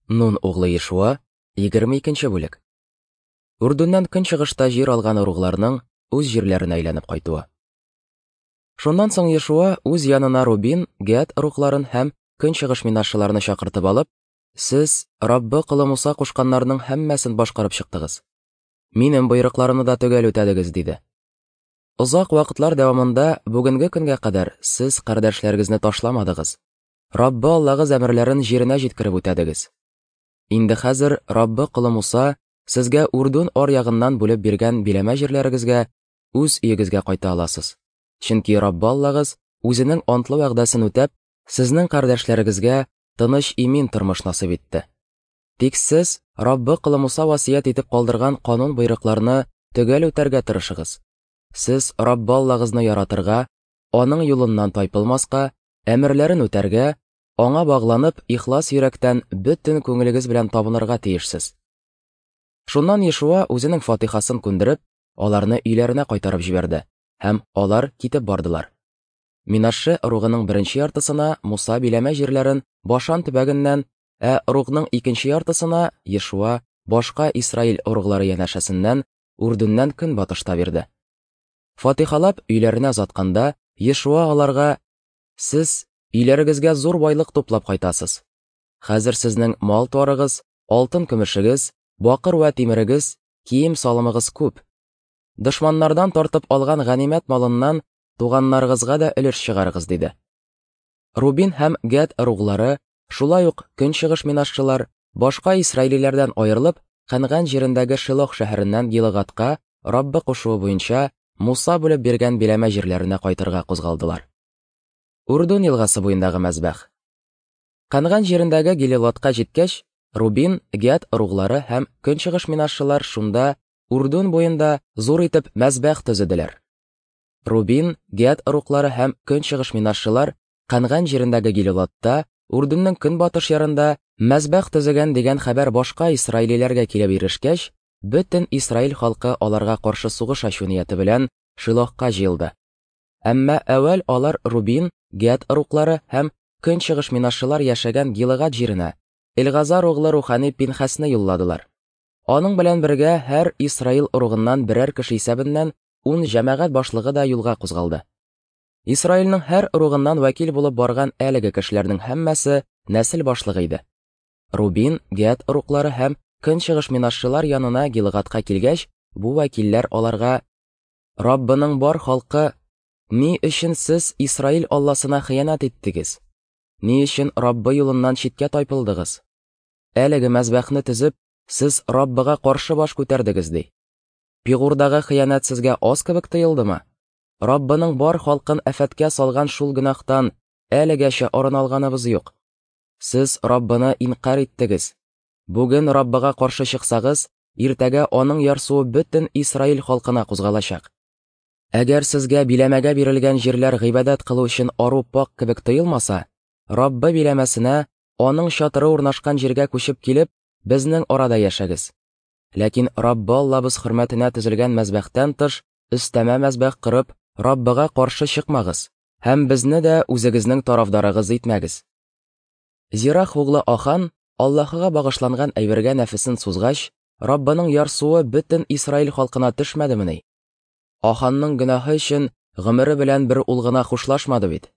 Нун углы Ешуа, 22 нче бүлек. Үрдүннән көнчыгышта җир алган ыругларның үз җирләренә әйләнеп кайтуы. Шуннан соң Ешуа үз янына Рубин, Гәд ыругларын һәм көнчыгыш минашчыларны чакыртып алып, Сез Раббы колы Муса кушканнарның һәммәсен башкарып чыктыгыз. Минем боерыкларымны да төгәл үтәдегез, диде. Озак вакытлар дәвамында бүгенге көнгә кадәр сез кардәшләрегезне ташламадыгыз. Раббы Аллагыз әмерләрен җиренә җиткереп үтәдегез. Инде хәзер Раббы колы Муса сезгә Үрдүн ар ягыннан бүлеп биргән биләмә җирләрегезгә, үз өегезгә кайта аласыз. Чөнки Раббы Аллагыз үзенең антлы вәгъдәсен үтәп, сезнең кардәшләрегезгә тыныч имин тормыш насыйп итте. Тик сез Раббы колы Муса васыять итеп калдырган канун-боерыкларны төгәл үтәргә тырышыгыз. Сез Раббы Аллагызны яратырга, аның юлыннан тайпылмаска, әмерләрен үтәргә, аңа багланып, ихлас йөрәктән бөтен күңелегез белән табынырга тиешсез. Шуннан Ешуа үзенең фатихасын күндереп, аларны өйләренә кайтарып җибәрде, һәм алар китеп бардылар. Минашше ыругының беренче яртысына Муса биләмә җирләрен Башан төбәгеннән, ә ыругның икенче яртысына Ешуа башка Исраил ыруглары янәшәсеннән Үрдүннән көнбатышта бирде. Фатихалап өйләренә озатканда, Ешуа аларга, Сез өйләрегезгә зур байлык туплап кайтасыз. Хәзер сезнең мал-туарыгыз, алтын-көмешегез, бакыр вә тимерегез, кием-салымыгыз күп. Дошманнардан тартып алган ганимәт малыннан туганнарыгызга да өлеш чыгарыгыз, диде. Рубин һәм Гәд ыруглары, шулай ук көнчыгыш минашчылар, башка исраилиләрдән аерылып, Кәнган җирендәге Шилох шәһәреннән Гилыгадка Раббы кушуы буенча Муса бүлеп биргән биләмә җирләренә кайтырга кузгалдылар. Урдун елгасы буендагы мәзбәх. Кәнган җирендәге Гилилатка җиткәч, Рубин, Гәд ыруглары һәм көнчыгыш минашчылар шунда Урдун буенда зур итеп мәзбәх төзеделәр. Рубин, Гәд ыруглары һәм көнчыгыш минашчылар Кәнган җирендәге Гилилатта, Урдунның көнбатыш ярында мәзбәх төзегән дигән хәбәр башка исраилиләргә килеп ирешкәч, бөтен Исраил халкы аларга каршы сугыш ачу нияте белән Шилохка җыелды. Әмма әүвәл алар Рубин, Гәд ыруглары һәм көнчыгыш минашчылар яшәгән Гилыгад җиренә Элгазар углы рухани Пинхәсне юлладылар. Аның белән бергә һәр Исраил ыругыннан берәр кеше исәбеннән ун җәмәгать башлыгы да юлга кузгалды. Исраилнең һәр ыругыннан вәкил булып барган әлеге кешеләрнең һәммәсе нәсел башлыгы иде. Рубин, Гәд ыруглары һәм көнчыгыш минашчылар янына Гилгадка килгәч, бу вәкилләр аларга: Раббының бар халкы, ни өчен сез Исраил Алласына хыянәт иттегез? Ни өчен Раббы юлыннан читкә тайпылдыгыз? Әлеге мәзбәхне төзеп, сез Раббыга каршы баш күтәрдегез, ди. Пигурдагы хыянәт сезгә аз кебек тоелдымы? Раббының бар халкын афәткә салган шул гөнаһтан әлегәчә арына алганыбыз юк. Сез Раббыны инкарь иттегез. Бүген Раббыга каршы чыксагыз, иртәгә аның ярсуы бөтен Исраил халкына кузгалачак. Әгәр сезгә биләмәгә бирелгән җирләр гыйбадәт кылу өчен ару пак кебек тоелмаса, Раббы биләмәсенә, аның чатыры урнашкан җиргә күчеп килеп, безнең арада яшәгез. Ләкин Раббы Аллабыз хөрмәтенә төзелгән мәзбәхтән тыш өстәмә мәзбәх корып, Раббыга каршы чыкмагыз һәм безне дә үзегезнең тарафдарыгыз итмәгез. Зирах углы Ахан Аллаһыга багышланган әйбергә нәфесен сузгач, Раббының ярсуы бөтен Исраил халкына төшмәдемени? Аханның гөнаһы өчен гомере белән бер ул гына хушлашмады бит.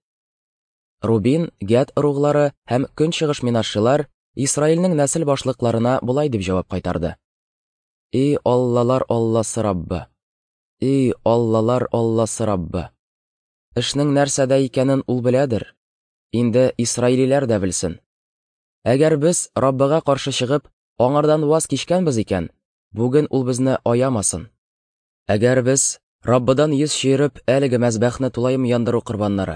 Рубин, Гәд ыруглары һәм көнчыгыш минашчылар Исраилнең нәсел башлыкларына болай дип җавап кайтарды. И Аллалар Алласы Раббы! И Аллалар Алласы Раббы! Эшнең нәрсәдә икәнен ул беләдер. Инде исраилиләр дә белсен. Әгәр без Раббыга каршы чыгып, аңардан ваз кичкәнбез икән, бүген ул безне аямасын. Әгәр без Раббыдан йөз чөереп, әлеге мәзбәхне тулаем яндыру корбаннары,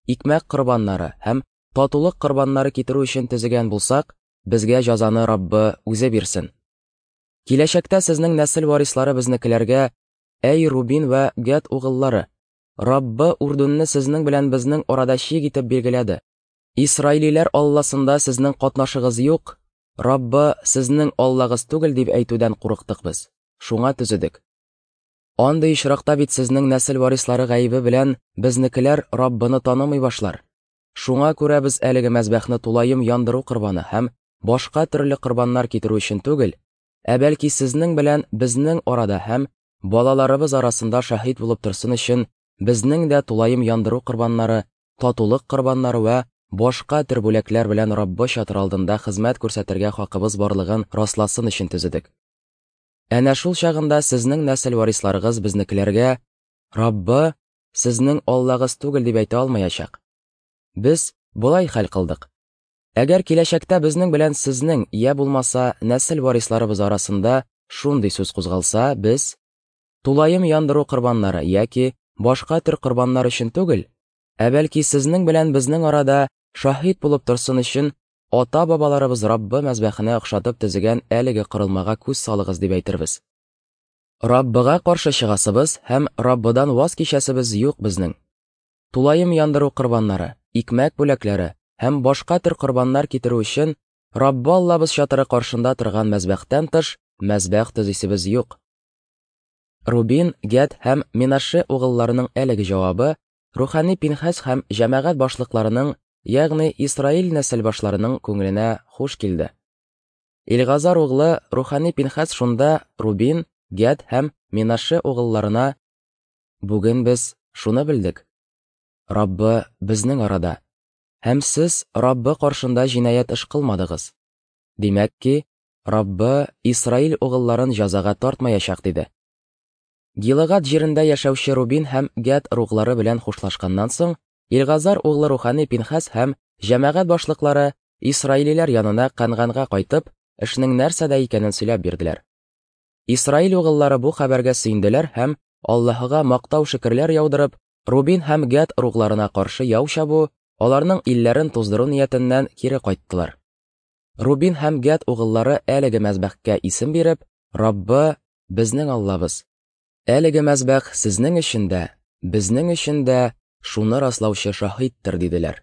икмәк корбаннары һәм татулык корбаннары китерү өчен төзегән булсак, безгә җазаны Раббы үзе бирсен. Киләчәктә сезнең нәсел варислары безнекеләргә, Әй Рубин вә Гәд угыллары, Раббы Урдунны сезнең белән безнең арада чик итеп билгеләде. Исраилиләр Алласында сезнең катнашыгыз юк, Раббы сезнең Аллагыз түгел дип әйтүдән курыктык без, шуңа төзедек. Андый очракта бит сезнең нәсел варислары гаебе белән безнекеләр Раббыны танымый башлар. Шуңа күрә без әлеге мәзбәхне тулаем яндыру корбаны һәм башка төрле корбаннар китерү өчен түгел, ә бәлки сезнең белән безнең арада һәм балаларыбыз арасында шаһит булып торсын өчен безнең дә тулаем яндыру корбаннары, татулык корбаннары вә башка төр бүләкләр белән Раббы чатыры алдында хезмәт күрсәтергә хакыбыз барлыгын расласын өчен төзедек. Әнә шул чагында сезнең нәсел варисларыгыз безнекеләргә Раббы сезнең Аллагыз түгел дип әйтә алмаячак. Без болай хәл кылдык. Әгәр киләчәктә безнең белән сезнең, я булмаса, нәсел варисларыбыз арасында шундый сүз кузгалса, без тулаем яндыру корбаннары яки башка төр корбаннар өчен түгел, ә бәлки сезнең белән безнең арада шаһит булып торсын өчен ата-бабаларыбыз Раббы мәзбәхенә охшатып төзегән әлеге корылмага күз салыгыз дип әйтербез. Раббыга каршы чыгасыбыз һәм Раббыдан ваз кичәсебез юк безнең. Тулаем яндыру корбаннары, икмәк бүләкләре һәм башка төр корбаннар китерү өчен Раббы Аллабыз чатыры каршында торган мәзбәхтән тыш мәзбәх төзисебез юк. Рубин, Гәд һәм Менаше угылларының әлеге җавабы рухани Пинхәс һәм җәмәгать башлыкларының, ягъни Исраил нәсел башларының күңеленә хуш килде. Илгазар углы рухани Пинхәс шунда Рубин, Гәд һәм Менаше угылларына: Бүген без шуны белдек: Раббы безнең арада, һәм сез Раббы каршында җинаять эш кылмадыгыз. Димәк ки, Раббы Исраил угылларын җәзага тартмаячак, диде. Гилыгад җирендә яшәүче Рубин һәм Гәд ыруглары белән хушлашканнан соң, Илгазар углы рухани Пинхәс һәм җәмәгать башлыклары исраилиләр янына Кәнганга кайтып, эшнең нәрсәдә икәнен сөйләп бирделәр. Исраил угыллары бу хәбәргә сөенделәр һәм Аллаһыга мактау-шөкерләр яудырып, Рубин һәм Гәд ыругларына каршы яу чабу, аларның илләрен туздыру ниятеннән кире кайттылар. Рубин һәм Гәд угыллары әлеге мәзбәхкә исем биреп, Раббы, безнең Аллабыз. Әлеге мәзбәх сезнең өчен дә, безнең өчен дә шуны раслаучы шаһиттер, диделәр.